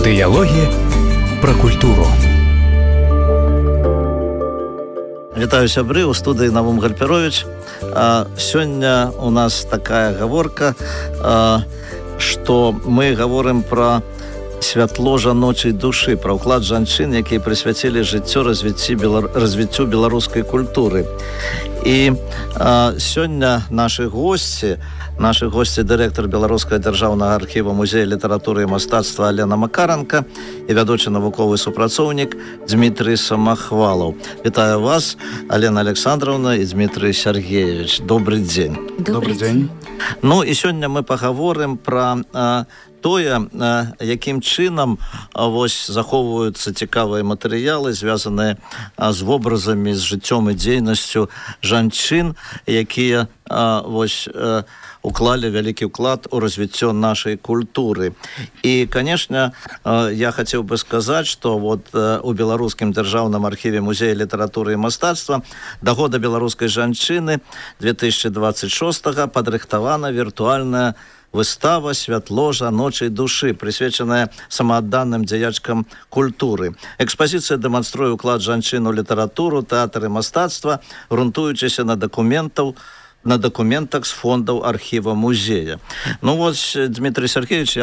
Дыялогі пра культуру. Вітаю, сябры, у студыі Навум Гальперович. Сёння у нас такая гаворка, што мы гаворым пра святло жаночай душы, пра ўклад жанчын, якія прысвяцілі жыццё развіццю беларускай культуры. І сёння нашы госці, дырэктар Беларускага дзяржаўнага архіва музея літаратуры і мастацтва Алена Макаранка і вядучы навуковы супрацоўнік Дмітрый Самахвалаў. Вітаю вас, Алена Александровна і Дмітрый Сергеевич. Добрый дзень. Добрый дзень. Ну і сёння мы пагаворым пра тое, якім чынам захоўваюцца цікавыя матэрыялы, звязаныя з вобразамі, з жыццём і дзейнасцю жанчын, якія уклалі вялікі ўклад у развіццё нашай культуры. І, канешне, я хацеў бы сказаць, што у Беларускім дзяржаўным архіве музея літаратуры і мастацтва да года беларускай жанчыны 2026 падрыхтавана віртуальная выстава «Святло жаночай душы», прысвечаная самаадданым дзеячкам культуры. Экспазіцыя дэманструе ўклад жанчын у літаратуру, тэатр і мастацтва, грунтуючыся на дакументах з фондаў архіва музея. Ну Дмітрий Сергеевич,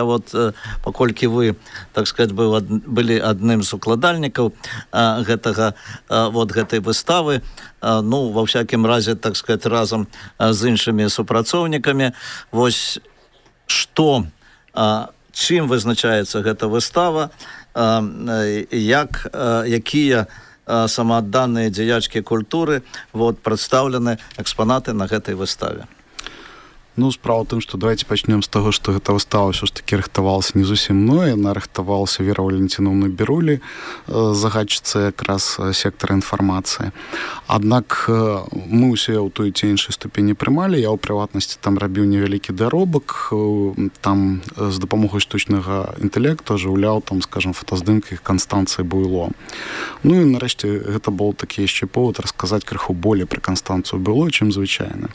паколькі вы, так сказать, былі адным з укладальнікаў гэтай выставы, ва ўсякім разе, так сказать, разам з іншымі супрацоўнікамі, чым вызначаецца гэта выстава, якія самаадданыя дзеячкі культуры прадстаўлены экспанаты на гэтай выставе. Справа ў тым, што давайте пачнем з таго, што гэта выстава ўсё ж такі рыхтавалася не зусім мной, яна рыхтавалася Вера Валентиновна Берулі, загадчыца якраз сектара інфармацыі. Аднак мы ўсе ў той ці іншай ступені прымалі, я ў прыватнасці там рабіў невялікі даробак, там з дапамогай штучнага інтэлекту ажыўляў, скажем, фотаздымкі Канстанцыі Буйло. І нарэшце гэта быў такі яшчэ повод расказаць крыху болей пра Канстанцыю Буйло, чым звычайна.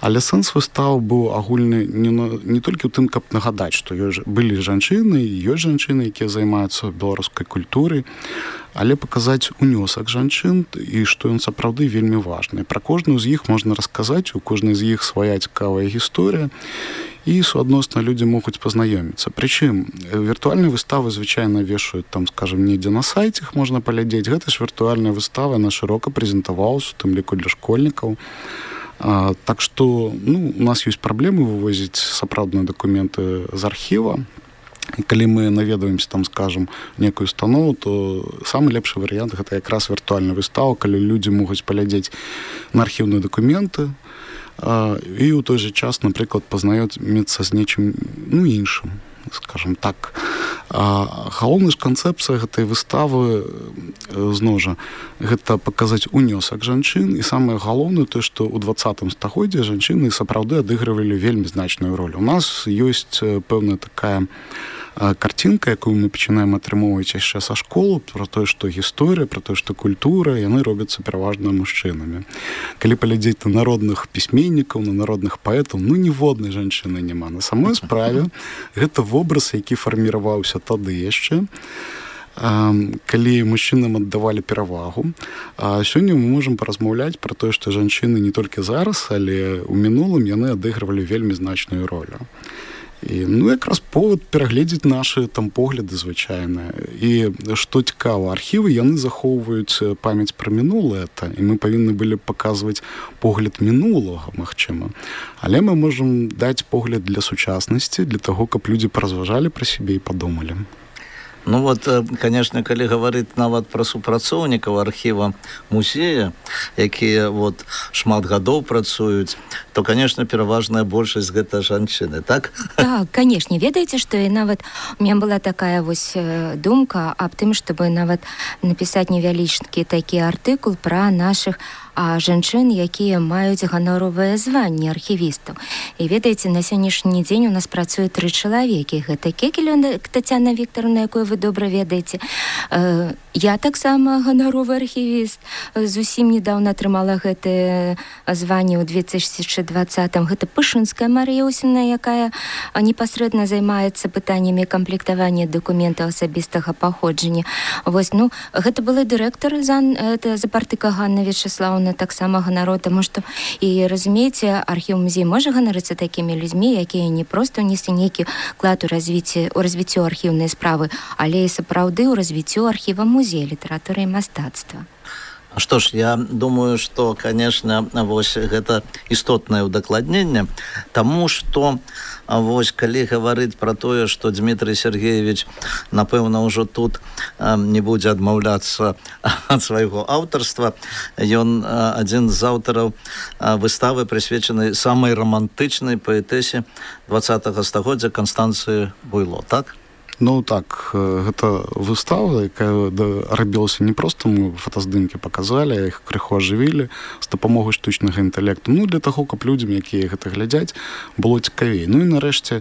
Але сэнс выставы быў агульны не толькі ў тым, каб нагадаць, што былі жанчыны, ёсць жанчыны, якія займаюцца беларускай культурай, але паказаць унёсак жанчын і што ён сапраўды вельмі важны. Пра кожную з іх можна расказаць, у кожнай з іх свая цікавая гісторыя, і суадносна людзі могуць пазнаёміцца. Прычым віртуальныя выставы звычайна вешаюць скажем, недзе на сайце іх можна паглядзець. Гэта ж віртуальная выстава, яна шырока прэзентавалася, у тым ліку для школьнікаў. Так што у нас ёсць праблемы вывозіць сапраўдныя дакументы з архіва. І калі мы наведваемся скажем, некую установу, то самы лепшы варыянт гэта якраз віртуальная выстава, калі людзі могуць паглядзець на архіўныя дакументы і ў той жа час, напрыклад, пазнаёміцца з нечым іншым, скажем так. Галоўная ж канцэпцыя гэтай выставы зноў жа гэта паказаць унёсак жанчын, і самае галоўнае тое, што ў 20 стагоддзі жанчыны сапраўды адыгрывалі вельмі значную ролю. У нас ёсць пэўная такая карцінка, якую мы пачынаем атрымоўваць яшчэ са школы, пра тое, што гісторыя, пра тое, што культура, яны робяцца пераважна мужчынамі. Калі паглядзець на народных пісьменнікаў, на народных паэтаў, ніводнай жанчыны няма. На самой справе гэта вобраз, які фарміраваўся тады яшчэ, калі мужчынам аддавалі перавагу. Сёння мы можам паразмаўляць пра тое, што жанчыны не толькі зараз, але ў мінулым яны адыгрывалі вельмі значную ролю. І якраз повод перагледзець нашы погляды звычайныя. І што цікава, архівы яны захоўваюць памяць пра мінулае, і мы павінны былі паказваць погляд мінулага, магчыма. Але мы можам даць погляд для сучаснасці, для таго, каб людзі паразважалі пра сябе і падумалі. Конечно, калі гаварыць нават пра супрацоўнікаў архіва музея, якія шмат гадоў працуюць, то, конечно, пераважная большасць гэта жанчыны, так? Так, конечно. Ведаеце, што нават у меня была такая думка аб тым, чтобы нават напісаць невялічкі такі артыкул пра нашых жанчын, якія маюць ганоровае званне архівістаў. І ведаеце, на сённяшні дзень у нас працуе 3 чалавекі. Гэта Кекель Тацяна Вікторовна, якую вы добра ведаеце, Я таксама ганаровы архівіст. Зусім недавно атрымала гэтае званне ў 2020-м. Гэта Пышынская Марыя Осімна, якая непасрэдна займаецца пытаннямі камплектавання дакументаў асабістага паходжання. Вось, ну, гэта была дырэктар Запартыка Ганна Вячеславовна, таксама ганаро, таму што, і разумееце, архіў-музей можа ганарыцца такімі людзьмі, якія не проста ўнеслі нейкі клад у развіццё архіўнай справы, але і сапраўды ў развіццё архіва музея літаратуры і мастацтва. Што ж, я думаю, што, конечно, вось гэта істотнае ўдакладненне, таму што вось калі гаварыць пра тое, што Дмітрий Сергеевич, напэўна, ўжо тут не будзе адмаўляцца ад свайго аўтарства, ён адзін з аўтараў выставы, прысвечанай самай рамантычнай паэтэсе 20-го стагоддзя Канстанцыі Буйло, так? Ну так, гэта выстава, якая рабілася не проста, мы фотаздымкі паказалі, іх крыху ажывілі з дапамогай штучнага інтэлекту. Ну, для таго, каб людзям, якія гэта глядзяць, было цікавей. Ну і нарэшце,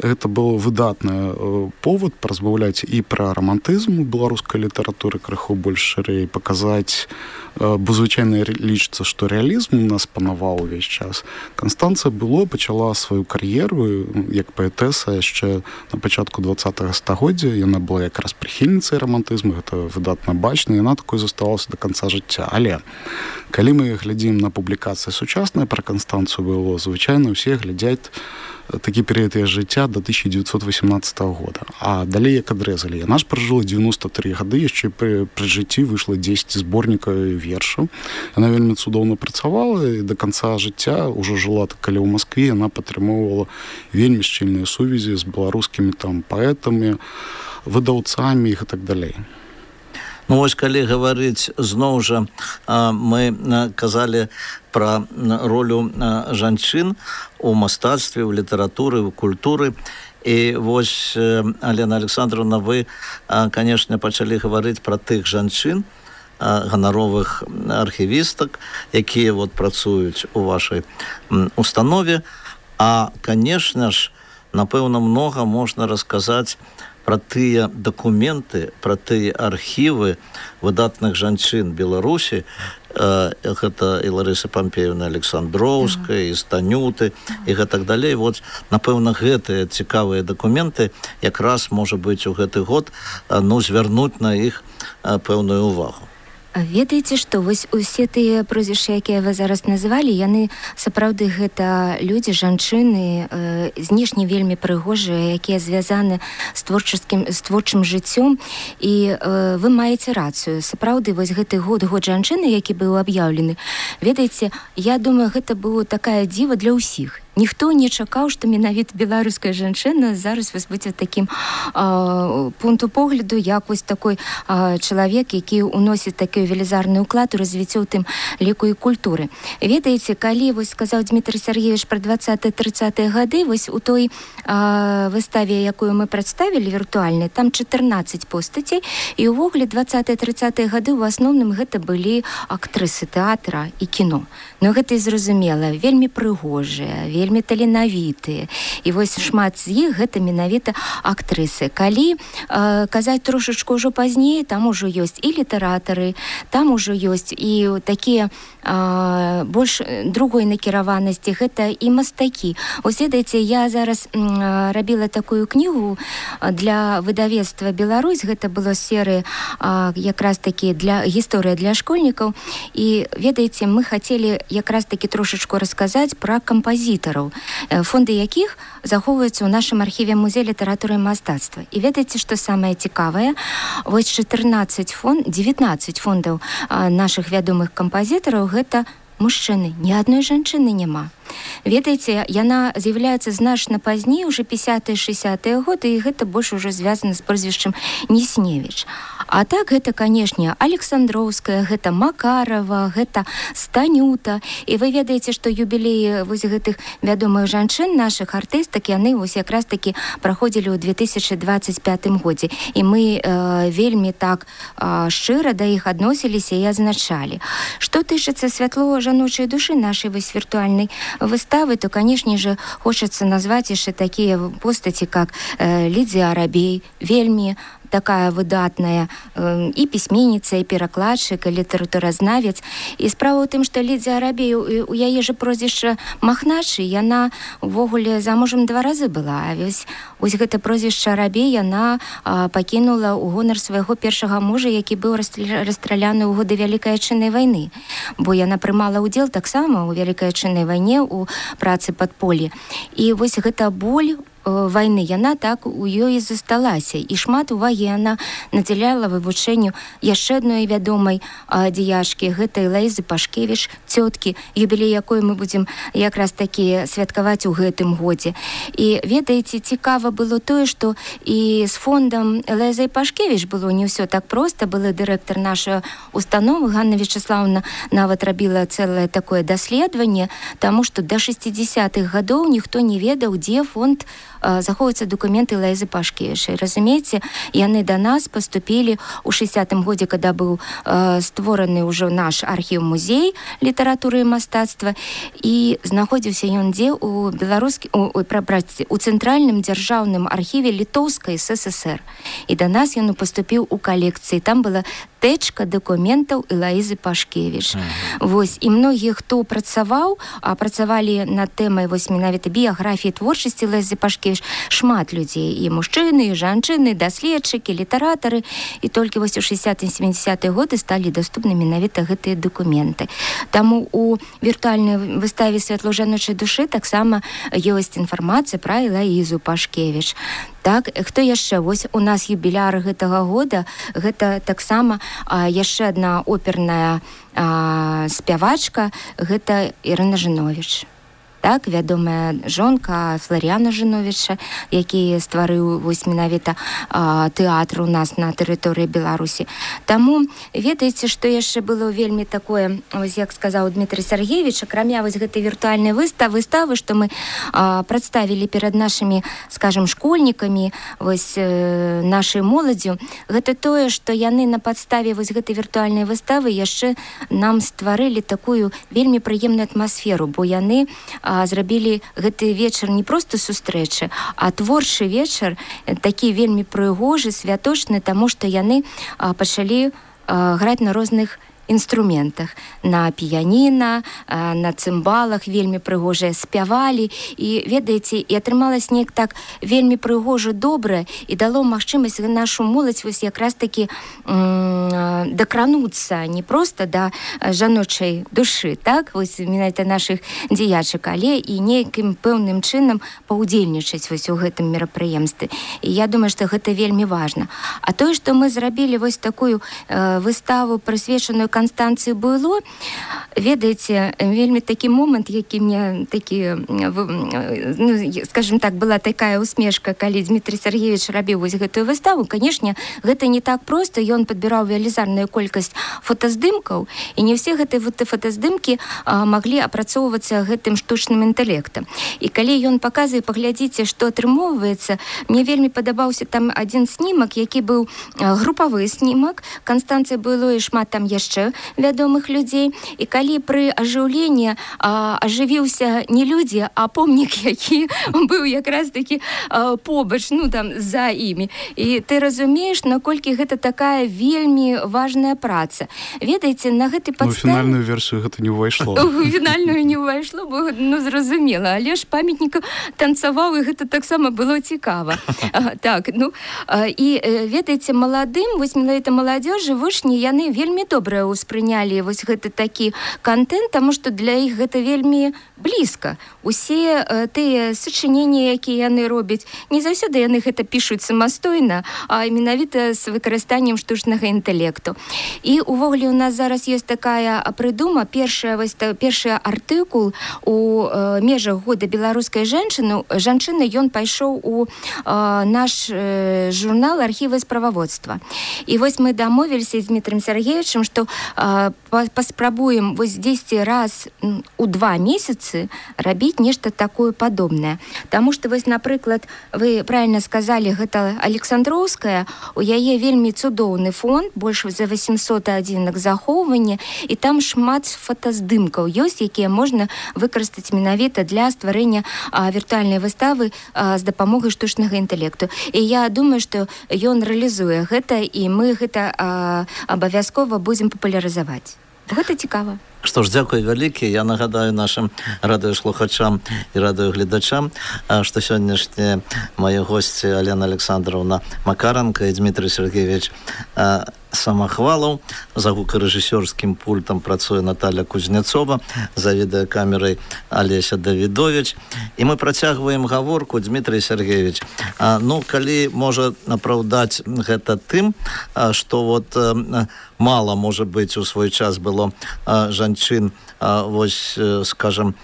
гэта быў выдатны повод паразмаўляць і пра рамантызм у беларускай літаратуры крыху больш шырэй, паказаць, бо звычайна лічыцца, што рэалізм у нас панаваў увесь час. Канстанцыя Буйло пачала сваю кар'еру як паэтэса яшчэ на пачатку 20-го стагоддзя. Яна была якраз прыхільніцай рамантызму, гэта выдатна бачна, яна такой заставалася да канца жыцця. Але калі мы глядзім на публікацыі сучасныя пра Канстанцыю Буйло, звычайна ўсе глядзяць такі перыяд яе жыцця до 1918 года. А далей як адрэзалі. Яна ж пражыла 93 гады, яшчэ пры жыцці выйшла 10 зборнікаў вершаў. Яна вельмі цудоўна працавала і да канца жыцця, ўжо жыла калі ў Маскве, яна падтрымоўвала вельмі шчыльныя сувязі з беларускімі там паэтамі, выдаўцамі і так далей. Ну, вось, калі гаварыць, зноў жа, мы казалі пра ролю жанчын у мастацтве, у літаратуры, у культуры. І вось, Алена Александровна, вы, канешне, пачалі гаварыць пра тых жанчын, ганаровых архівістак, якія вот працуюць у вашай установе. А, канешне ж, напэўна, многа можна расказаць пра тыя дакументы, пра тыя архівы выдатных жанчын Беларусі, гэта і Ларыса Пампеевна Александроўская, і Станюты, і гэтак далей. Вот, напэўна, гэтыя цікавыя дакументы якраз, можа быць, у гэты год, ну, звярнуць на іх пэўную ўвагу. Ведаеце, што вось усе тыя прозвішчы, якія вы зараз назвалі, яны сапраўды гэта людзі, жанчыны, знешне вельмі прыгожыя, якія звязаны з творчым жыццём. І вы маеце рацыю. Сапраўды, вось гэты год жанчыны, які быў аб'яўлены, ведаеце, я думаю, гэта было такая дзіва для ўсіх. Ніхто не чакаў, што менавіта беларуская жанчына зараз вось будзе такім пункту погляду, як вось такой чалавек, які ўносіць такі велізарны ўклад у развіццё ў тым ліку і культуры. Ведаеце, калі вось сказаў Дмітрий Сергеевич пра 20-30-е гады, вось у той выставе, якую мы прадставілі віртуальнай, там 14 постацей, і ўвогуле 20-30-е гады ў асноўным гэта былі актрысы тэатра і кіно. Ну гэта і зразумела, вельмі прыгожыя, вельмі таленавітыя. І вось шмат з іх гэта менавіта актрысы. Калі казаць трошачку ўжо пазней, там ужо ёсць і літаратары, там ужо ёсць і такія больш другой накіраванасці, гэта і мастакі. Ось, ведаеце, я зараз рабіла такую кнігу для выдавецтва «Беларусь», гэта была серыя якраз такі для гісторыя для школьнікаў, і, ведаеце, мы хацелі якраз такі трошачку расказаць пра кампазітараў, фонды якіх захоўваюцца ў нашым архіве музея літаратуры і мастацтва. І ведаеце, што самае цікавае, вось 19 фондаў нашых вядомых кампазітараў гэта мужчыны, ні адной жанчыны няма. Ведаеце, яна з'яўляецца значна пазней, уже 50-60-е годы, і гэта больш ужо звязана з прозвішчам Несневіч. А так гэта, канешне, Александроўская, гэта Макарова, гэта Станюта. І вы ведаеце, што юбілеі вось гэтых вядомых жанчын, нашых артыстак, яны вось якраз такі праходзілі ў 2025 годзе. І мы вельмі так шчыра да іх адносіліся і адзначалі. Што тычыцца святло-жаночай душы нашай вось віртуальнай выставы, то, конечно же, хочется назвать еще такие постати, как Лидия Арабей, вельми такая выдатная і пісьменніца, і перакладчык, і літаратуразнавец. І справа ў тым, што Лідзія Арабей, у яе же прозвішча Махначы, яна увогуле замужам 2 разы была. А вось гэта прозвішча Арабей яна пакінула ў гонар свайго першага мужа, які быў расстраляны ў годы Вялікай Адчыннай вайны. Бо яна прымала ўдзел таксама ў Вялікай Адчыннай вайне, у працы падполлі. І вось гэта боль вайны, яна так у ёй засталася. І шмат увагі яна надзяляла вывучэнню яшчэ адной вядомай дзеячкі, гэтай Лаізы Пашкевіч, цёткі, юбілей якой мы будзем якраз такі святкаваць у гэтым годзе. І ведаеце, цікава было тое, што і з фондам Лаізай Пашкевіч было не ўсё так проста. Былы дырэктар нашай установы Ганна Вячеславовна нават рабіла цэлае такое даследаванне, таму што да 60-х гадоў ніхто не ведаў, дзе фонд захоўваюцца дакументы Лаізы Пашкевіч. Разумееце, яны да нас паступілі ў 60-м годзе, када быў створаны ўжо наш архіў-музей літаратуры і мастацтва, і знаходзіўся ён дзе у цэнтральным дзяржаўным архіве Літоўскай ССР. І да нас ён паступіў у калекцыі. Там была тэчка дакументаў Лаізы Пашкевіч. Вось, і многія, хто працаваў, працавалі над тэмай вось менавіта біяграфіі творчасці Лаізы Пашкевіч, шмат людзей, і мужчыны, і жанчыны, даследчыкі, літаратары, і толькі вось у 60-70-е годы сталі даступны менавіта гэтыя дакументы. Таму у віртуальнай выставе «Святло жаночай душы» таксама ёсць інфармацыя пра Лаізу Пашкевіч. Так, хто яшчэ? Вось у нас юбіляр гэтага года, гэта таксама яшчэ адна оперная спявачка, гэта Ірына Жыновіч. Так, вядомая жонка Фларіяна Жыновіча, які стварыў вось менавіта тэатр у нас на тэрыторыі Беларусі. Таму ведаеце, што яшчэ было вельмі такое, вось як сказаў Дмітрий Сергеевич, акрамя вось гэтай віртуальнай выставы, што мы прадставілі перад нашымі, скажем, школьнікамі, вось нашай моладзю, гэта тое, што яны на падставе вось гэтай віртуальнай выставы яшчэ нам стварылі такую вельмі прыемную атмасферу, бо яны зрабілі гэты вечар не проста сустрэчы, а творчы вечар, такі вельмі прыгожы, святочны, таму што яны пачалі граць на розных інструментах, на піяніна, на цымбалах, вельмі прыгожыя спявалі, і ведаеце, і атрымалась неяк так вельмі прыгожа добра, і дало магчымасць нашу моладзь вось якраз такі дакрануцца не проста да жаночай душы, так, вось менавіта нашых дзеячак, але і нейкім пэўным чынам паўдзельнічаць вось у гэтым мерапрыемстве. І я думаю, што гэта вельмі важна. А тое, што мы зрабілі вось такую выставу, прысвечаную Констанції Буйло, ведаеце, вельмі такі момент, які мне такі, ну, скажем так, была такая усмешка, калі Дмитрий Сергеевич рабіў вось гэтую выставу. Канешне, гэта не так проста, ён падбіраў велізарную колькасць фотаздымкаў, і не ўсе гэтыя фотаздымкі маглі апрацоўвацца гэтым штучным інтэлектам. І калі ён паказвае, паглядзіце, што атрымоўваецца, мне вельмі падабаўся там адзін снімак, які быў групавы снімак, Констанція Буйло і шмат там яшчэ вядомых людзей. І калі пры ажыўленні ажывіўся не людзі, а помнік, які быў якраз такі побач, ну там за імі. І ты разумееш, наколькі гэта такая вельмі важная праца. Ведаеце, на гэтай падставе... Ну, фінальную версію гэта не ўвайшло. Фінальную не ўвайшло, бо, ну, зразумела. Але ж памятнік танцаваў, і гэта таксама было цікава. Так, ну, і ведаеце, маладым, вось менавіта маладзёжы, вучні, яны вельмі добра ўспрынялі вось гэты такі контент, таму што для іх гэта вельмі блізка. Усе тыя сачыненні, якія яны робяць, не заўсёды яны гэта пішуць самастойна, а менавіта з выкарыстаннем штучнага інтэлекту. І увогуле у нас зараз ёсць такая прыдума, першы артыкул у межах года беларускай жанчыны, ён пайшоў у наш журнал архіва і справаводства. І вось мы дамовіліся з Дмітрием Сергеевичем, што паспрабуем вось 10 раз у 2 месяцы рабіць нешта такое падобнае. Таму што вось, напрыклад, вы правильно сказалі, гэта Александроўская, у яе вельмі цудоўны фонд, больш за 800 адзінак захоўвання, і там шмат фотаздымкаў ёсць, якія можна выкарыстаць менавіта для стварэння віртуальнай выставы з дапамогай штучнага інтэлекту. І я думаю, што ён рэалізуе гэта, і мы гэта абавязкова будзем папулярызаваць. Гэта цікава. Што ж, дзякуй вялікі. Я нагадаю нашым радыёслухачам і радыёгледачам, што сённяшнія мае госці Алена Александровна Макаранка і Дмітрий Сергеевич Самахвалаў. За гукарэжысёрскім пультам працуе Наталья Кузнецова, за відэакамерай Алеся Давідович. І мы працягваем гаворку. Дмітрий Сергеевич, калі можа апраўдаць гэта тым, што вот мала, можа быць, у свой час было жанчын, вось, скажем,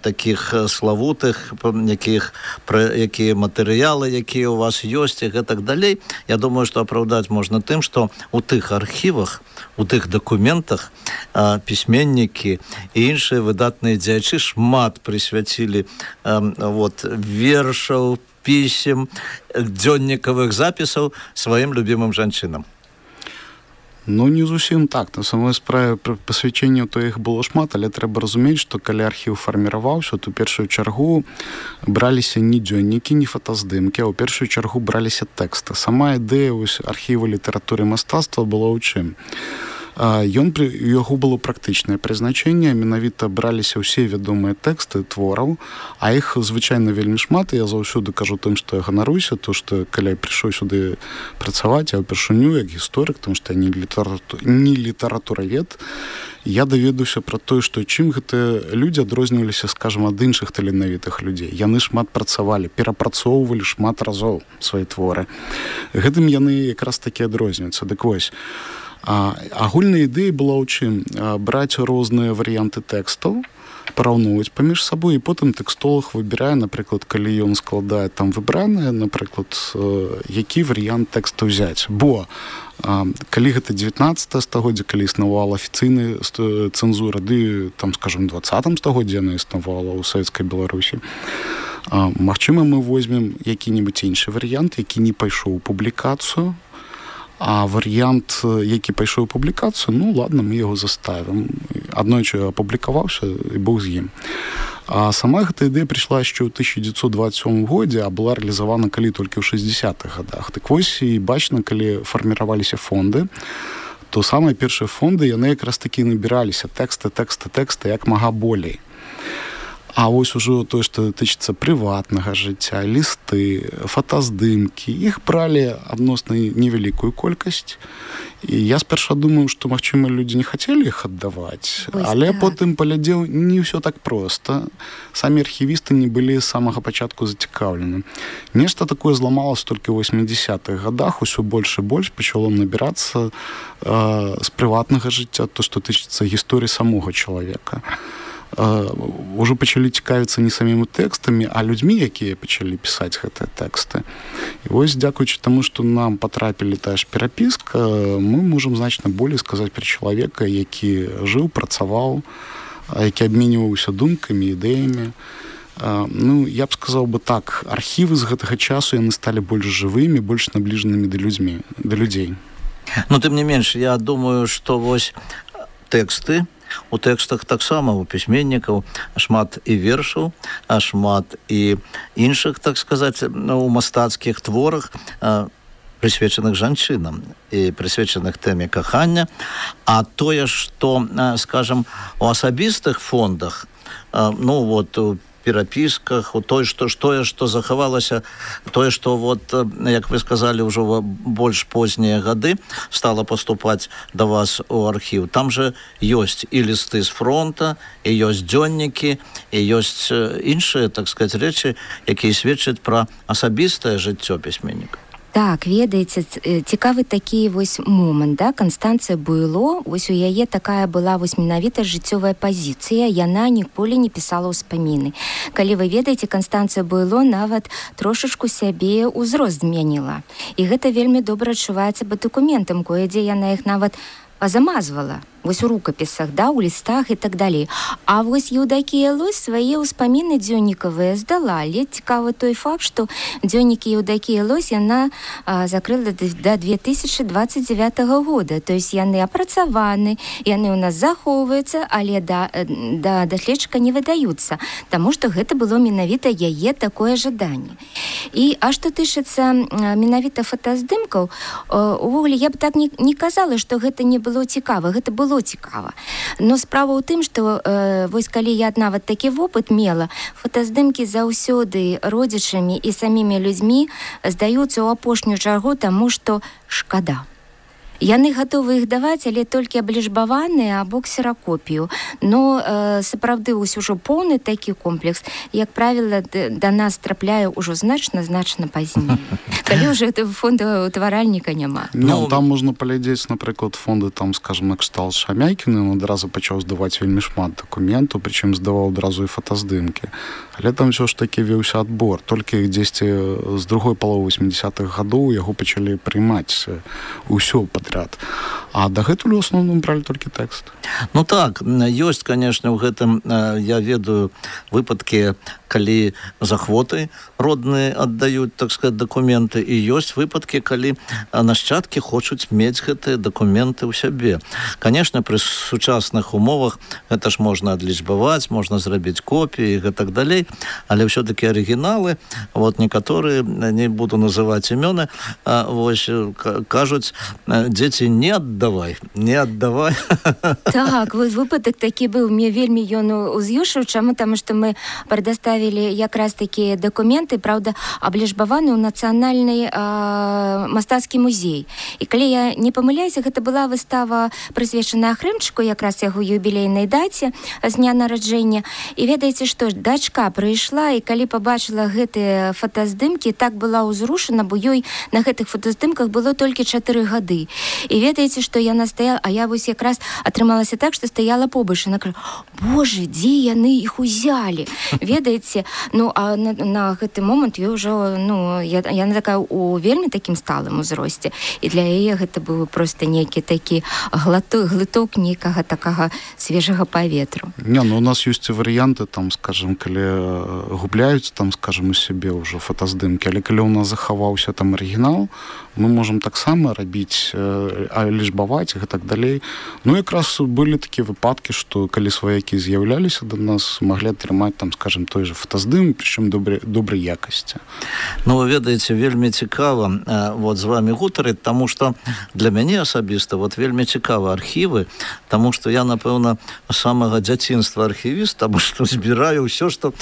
таких славутых, якія матэрыялы, якія у вас ёсць, і гэтак далей. Я думаю, што апраўдаць можна тым, што у тых архівах, у тых дакументах пісьменнікі і іншыя выдатныя дзеячы шмат прысвяцілі вершаў, пісем, дзённікавых запісаў сваім любімым жанчынам. Не зусім так. На самой справе пасвячэнняў то іх было шмат, але трэба разумець, што калі архіў фарміраваўся, то ў першую чаргу браліся не дзённікі, не фотаздымкі, а ў першую чаргу браліся тэксты. Сама ідэя архіву літаратуры і мастацтва была ў чым? Яго было практычнае прызначэнне, менавіта браліся ўсе вядомыя тэксты твораў, а іх звычайна вельмі шмат, і я заўсёды кажу тым, што я ганаруюся, то што калі я прыйшоў сюды працаваць, я ўпершыню як гісторык, тому што я не літаратуравед, я даведаўся пра тое, што чым гэтыя людзі адрозніваліся, скажам, ад іншых таленавітых людзей. Яны шмат працавалі, перапрацоўвалі шмат разоў свае творы. Гэтым яны якраз такі адрозніваюцца. Дык вось, агульная ідэя была ў чым? Браць розныя варыянты тэкстаў, параўноўваць паміж сабой, і потым тэкстолог выбірае, напрыклад, калі ён складае там выбранае, напрыклад, які варыянт тэкста ўзяць. Бо калі гэта 19 стагоддзя, калі існавала афіцыйная цэнзура, ды там, скажем, 20 стагоддзя яна існавала ў Савецкай Беларусі, магчыма, мы возьмем які-небудзь іншы варыянт, які не пайшоў у публікацыю, а варыянт, які пайшоў у публікацыю, ладно, мы яго заставім. Аднойчы апублікаваўся і бог з ім. А сама гэта ідэя прыйшла яшчэ ў 1927 годзе, а была рэалізавана калі толькі ў 60-х годах. Так вось і бачна, калі фарміраваліся фонды, то самыя першыя фонды, яны якраз такі набіраліся тэксты, як мага болей. А вось ужо тое, што тычыцца прыватнага жыцця, лісты, фотаздымкі, іх бралі адносна невялікую колькасць. І я спярша думаю, што, магчыма, людзі не хацелі іх аддаваць, але потым паглядзеў, не ўсё так проста. Самі архівісты не былі з самага пачатку зацікаўлены. Нешта такое зламалася толькі ў 80-х годах, усё больш і больш пачало набірацца з прыватнага жыцця, то, што тычыцца гісторыі самога чалавека. Ужо пачалі цікавіцца не самімі тэкстамі, а людзьмі, якія пачалі пісаць гэтыя тэксты. І вось, дзякуючы таму, што нам патрапілі тая ж перапіска, мы можам значна болей сказаць пра чалавека, які жыў, працаваў, які абменьваўся думкамі, ідэямі. Я б сказаў бы так, архівы з гэтага часу яны сталі больш жывымі, больш набліжанымі да людзей. Тым не менш, я думаю, што вось тэксты, у тэкстах таксама у пісьменнікаў шмат і вершаў, а шмат і іншых, так сказаць, у мастацкіх творах, прысвечаных жанчынам і прысвечаных тэме кахання. А тое, што, скажам, у асабістых фондах, у перапісках, у тое, што захавалася, тое, што, як вы сказалі, ўжо больш познія гады стала паступаць да вас у архіў. Там жа ёсць і лісты з фронта, і ёсць дзённікі, і ёсць іншыя, так сказаць, рэчы, якія сведчаць пра асабістае жыццё пісьменніка. Так, ведаеце, цікавы такі вось момант, да? Канстанцыя Буйло, вось у яе такая была вось менавіта жыццёвая пазіцыя, яна ніколі не пісала ўспаміны. Калі вы ведаеце, Канстанцыя Буйло нават трошачку сябе ўзрост змяніла. І гэта вельмі добра адчуваецца па дакументам, кое-дзе яна іх нават пазамазвала. вось у рукапісах, да, у лістах і так далей. А вось Еўдакія Лось свае ўспаміны дзённікавыя здала. Але цікавы той факт, што дзённікі Еўдакія Лось яна закрыла да 2029 года. То есть яны апрацаваны, яны ў нас захоўваюцца, але да даследчыка не выдаюцца, таму што гэта было менавіта яе такое жаданне. А што тычыцца менавіта фотаздымкаў, увогуле я б так не казала, што гэта не было цікава, гэта было цікава. Но справа ў тым, што вось калі я нават такі вопыт мела, фотаздымкі заўсёды родзічамі і самімі людзьмі здаюцца ў апошнюю чаргу, таму што шкада. Яны гатовы іх даваць, але толькі абліжбаваныя або ксеракопію. Но сапраўды ўжо поўны такі комплекс, як правіла, да нас трапляе ўжо значна пазней. Калі ўжо фондаўтваральніка няма. Ну, там можна паглядзець, напрыклад, фонды, там, скажем, на кшталт Шамякіна, ён адразу пачаў здаваць вельмі шмат дакументаў, прычым здаваў адразу і фотаздымкі. Але там ўсё ж такі веўся адбор. Толькі дзесьці з другой паловы 80-х гадоў яго пачалі прыймаць усё падряд. А дагэтуль у асноўным бралі толькі тэкст. Ну так, ёсць, конечно, ў гэтым, я ведаю выпадкі, калі захвоты родныя аддаюць, так сказать, дакументы, і ёсць выпадкі, калі нашчадкі хочуць мець гэтыя дакументы ў сябе. Конечно, пры сучасных умовах гэта ж можна адлічбаваць, можна зрабіць копіі і так далей, але ўсё-таки арыгіналы, вот некаторыя, не буду называць імёны, вось кажуць, дзеці, не аддавай. Так, вось выпадак такі быў, мне вельмі ён уз'юшыў, чаму? Таму што мы прадоставілі якраз такія дакументы, праўда, абліжбаваны ў нацыянальны мастацкі музей. І калі я не памыляюся, гэта была выстава, прысвечаная Хрымчыку, якраз яго юбілейнай даце з дня нараджэння. І ведаеце што, дачка прыйшла, і калі пабачыла гэтыя фотаздымкі, так была ўзрушана, бо ёй на гэтых фотаздымках было толькі 4 гады. І ведаеце, што яна стаяла, а я вось якраз атрымалася так, што стаяла побач, і накрыла: «Боже, дзе яны іх узялі?» Ведаеце, ну, а на гэты момант я ўжо, ну, яна такая у вельмі такім сталым узросце, і для яе гэта быў проста нейкі такі глыток нейкага такага свежага паветру. Не, ну, у нас ёсць і варыянты, там, скажем, калі губляюць, там, скажем, у сябе ўжо фотаздымкі, але калі ў нас захаваўся там арыгінал, мы можам таксама рабіць, лічбаваць і так далей. Ну, якраз былі такія выпадкі, што калі сваякі з'яўляліся да нас, маглі атрымаць, там, скажем, той же фотаздым, прычым добрай якасці. Ну, вы ведаеце, вельмі цікава вот з вами гутарыць, таму што для мяне асабіста вот вельмі цікава архівы, таму што я, напэўна, з самага дзяцінства архівіст, таму што збіраю ўсё, што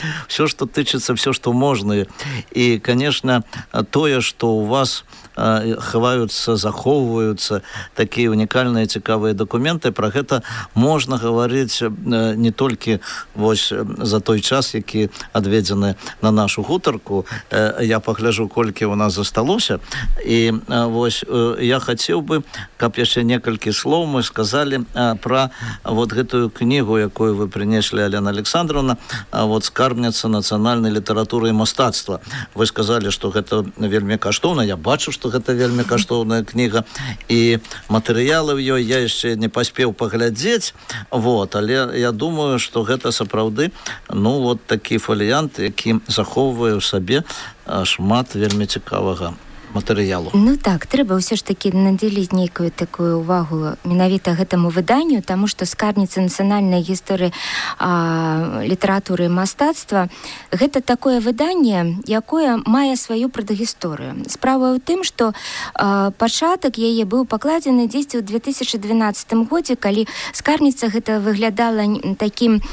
тычыцца, ўсё, што можна. І, конечно, тое, што у вас хаваюцца, захоўваюцца такія унікальныя цікавыя дакументы, пра гэта можна гаварыць не толькі вось за той час, які адведзены на нашу гутарку. Я пагляджу, колькі ў нас засталося, і вось я хацеў бы, каб яшчэ некалькі слоў мы сказалі пра вот гэтую кнігу, якую вы прынеслі, Алена Александровна, вот «Скарбніца нацыянальнай літаратуры і мастацтва». Вы сказалі, што гэта вельмі каштоўна, я бачу, што гэта вельмі каштоўная кніга, і матэрыялы ў ёй я яшчэ не паспеў паглядзець, вот, але я думаю, што гэта сапраўды, ну, вот такі фаліянт, які захоўвае ў сабе шмат вельмі цікавага матэрыялу. Ну так, трэба ўсё ж такі надзяліць нейкую такую увагу менавіта гэтаму выданню, таму што «Скарбніца нацыянальнай гісторыі літаратуры і мастацтва» гэта такое выданне, якое мае сваю прадгісторыю. Справа ў тым, што пачатак яе быў пакладзены дзесьці ў 2012 годзе, калі скарбніца гэта выглядала такім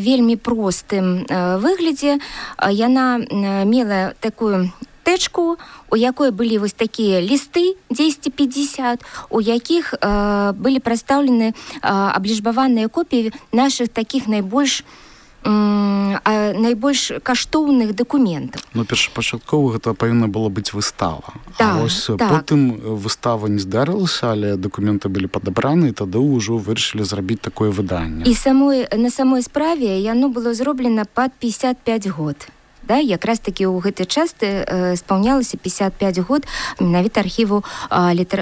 вельмі простым выглядзе. Яна мела такую тэчку, у якой былі вось такія лісты 10-50, у якіх былі прадстаўлены абліжбаваныя копіі нашых такіх найбольш каштоўных дакументаў. Ну, першапачаткова гэта павінна была быць выстава. Так, а ось потым выстава не здарылася, але дакументы былі падабраны, і тады ўжо вырашылі зрабіць такое выданне. І на самой справе яно было зроблена пад 55 год. Да, якраз таки ў гэты час спаўнялася 55 год менавіта архіву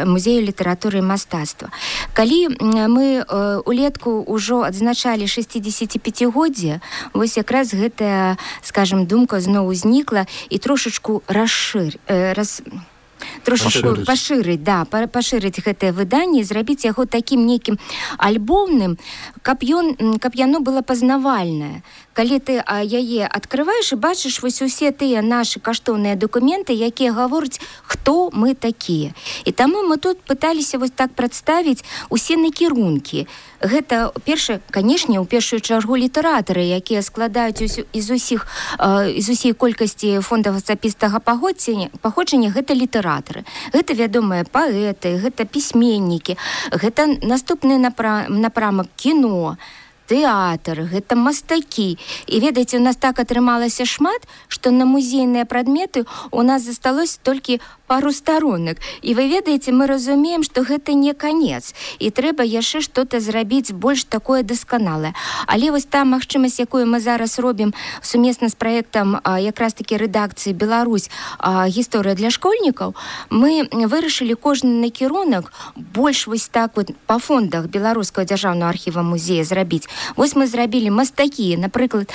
музею літаратуры і мастацтва. Калі мы улетку ўжо адзначалі 65-годдзе, вось якраз гэтая, скажем, думка зноў узнікла і трошачку пашырыць гэтае выданне, зрабіць яго такім нейкім альбомным, каб яно было пазнавальнае. Калі ты яе адкрываеш і бачыш вось усе тыя нашы каштоўныя дакументы, якія гавораць, хто мы такія. І таму мы тут пыталіся вось так прадставіць усе накірункі. Гэта, канешне, ў першую чаргу літаратары, якія складаюць з усей колькасці фондаў асабістага паходжання, гэта літаратары. Гэта вядомыя паэты, гэта пісьменнікі, гэта наступны напрамак кіно, тэатр, гэта мастакі. І ведаеце, у нас так атрымалася шмат, што на музейныя прадметы у нас засталося толькі пару старонак. І вы ведаеце, мы разумеем, што гэта не канец. І трэба яшчэ што-то зрабіць больш такое дасканалае. Але вось та магчымасць, якую мы зараз робім сумесна з праектам якраз такі рэдакцыі «Беларусь. Гісторыя для школьнікаў», мы вырашылі кожны накірунак больш вось так вот па фондах Беларускага дзяржаўнага архіва музея зрабіць. Вось мы зрабілі мастакі, напрыклад,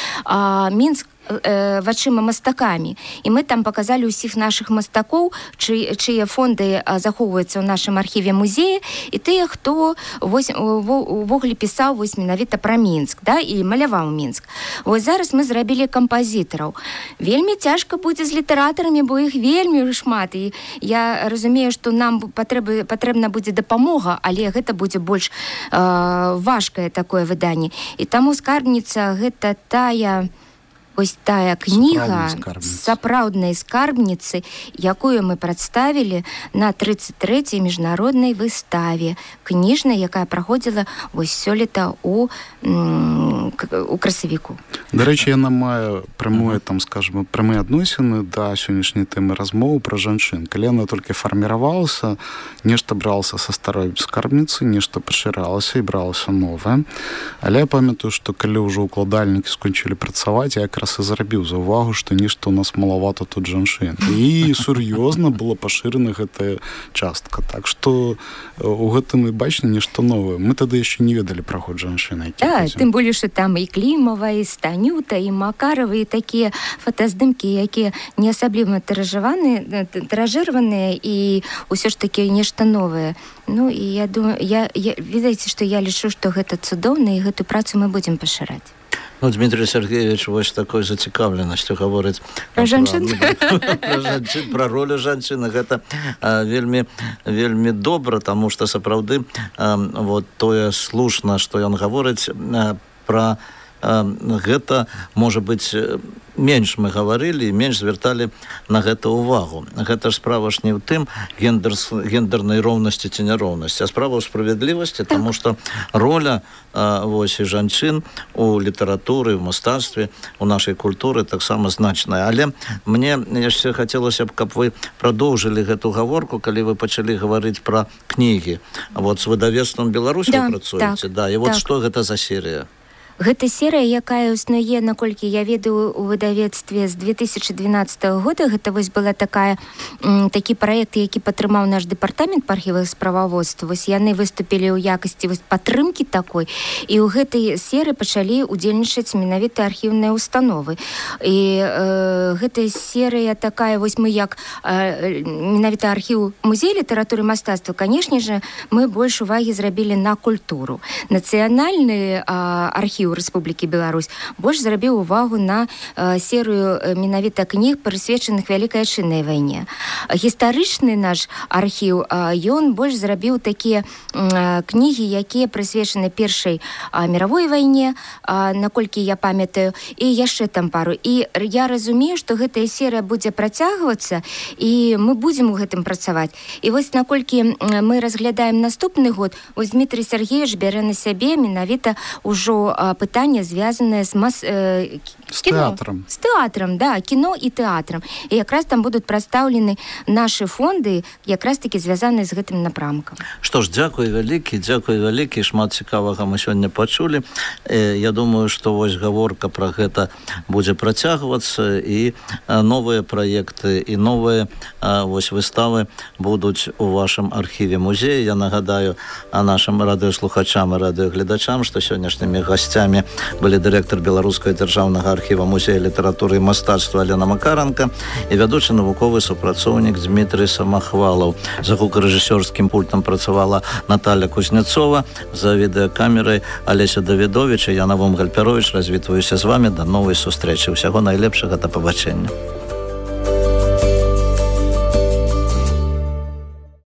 Мінск вачыма мастакамі. І мы там паказалі ўсіх нашых мастакоў, чые фонды захоўваюцца ў нашым архіве музея, і тыя, хто увогуле пісаў вось менавіта пра Мінск, да, і маляваў Мінск. Вось зараз мы зрабілі кампазітараў. Вельмі цяжка будзе з літаратарамі, бо іх вельмі шмат. І я разумею, што нам патрэбна будзе дапамога, але гэта будзе больш важкае такое выданне. І таму скарбніца гэта ось тая кніга сапраўднай скарбніцы, якую мы прадставілі на 33-й міжнароднай выставе кніжнай, якая праходзіла вось сёлета у красавіку. Дарэчы, яна мае прямыя адносіны да сённяшняй тэмы размовы пра жанчын. Калі яна толькі фарміравалася, нешта бралася са старой скарбніцы, нешта пашыралася і бралася новае. Але я памятаю, што калі ўжо укладальнікі скончылі працаваць, я якраз і зрабіў заўвагу, што нешта ў нас малавата тут жанчын. І сур'ёзна была пашырана гэтая частка. Так што у гэтым і бачна нешта новае. Мы тады яшчэ не ведалі пра ход жанчын. Да, тым болей, што там і Клімава, і Станюта, і Макарова, і такія фотаздымкі, якія не асабліва тыражыраваныя, і ўсё ж такі нешта новае. Ну, і я думаю, ведаеце, што я лічу, што гэта цудоўна, і гэту працу мы будзем пашыраць. Ну, Дмитрий Сергеевич вось такой зацікаўленасцю гаворыць пра жанчын, пра ролю жанчыны. Гэта вельмі добра, таму што сапраўды вот тое слушна, што ён гаворыць пра гэта, можа быць, менш мы гаварылі і менш звярталі на гэта ўвагу. Гэта ж справа ж не ў тым гендернай роўнасці ці няроўнасці, а справа ў справядлівасці, таму што роля вось і жанчын у літаратуры, у мастацтве, у нашай культуры таксама значная. Але мне яшчэ хацелася б, каб вы прадоўжылі гэту гаворку, калі вы пачалі гаварыць пра кнігі. Вот з выдавецтвам «Беларусь» вы працуеце, да, і вот што гэта за серыя? Гэта серыя, якая існуе, наколькі я ведаю, у выдавецтве з 2012 года. Гэта вось была такі праект, які падтрымаў наш дэпартамент па архівах справаводства. Вось яны выступілі ў якасці падтрымкі такой. І ў гэтай серыі пачалі удзельнічаць менавіта архіўныя установы. І гэтая серыя такая, вось мы як менавіта архіў музея літаратуры і мастацтва, канешне же, мы больш увагі зрабілі на культуру. Нацыянальны архіў Рэспублікі Беларусь больш зрабіў увагу на серыю менавіта кніг, прысвечаных Вялікай Адчыннай вайне. Гістарычны наш архіў, ён больш зрабіў такія кнігі, якія прысвечаны Першай міравой вайне, наколькі я памятаю, і яшчэ там пару. І я разумею, што гэтая серыя будзе працягвацца, і мы будзем у гэтым працаваць. І вось наколькі мы разглядаем наступны год, вось Дмітрий Сергеевич бярэ на сябе менавіта ўжо пытанне, звязанае з С театром. С театром, да, кіно і тэатрам. І якраз там будуць прадстаўлены нашы фонды, якраз такі звязаныя з гэтым напрамкам. Што ж, дзякуй вялікі, шмат цікавага мы сёння пачулі. Я думаю, што вось гаворка пра гэта будзе працягвацца, і новыя праекты, і новыя вось выставы будуць у вашым архіве музея. Я нагадаю нашим радыёслухачам і радыёгледачам, што сённяшнімі гасцямі былі дырэктар Беларускага дзяржаўнага архіва музея літаратуры і мастацтва Алена Макаранка і вядучы навуковы супрацоўнік Дмітрый Самахвалаў. За гукарэжысёрскім пультам працавала Наталья Кузнецова, за відэакамерай Алеся Давідович, я Навум Гальпярович. Развітваюся з вами. До новай сустрэчы. Усяго найлепшага, да пабачэння.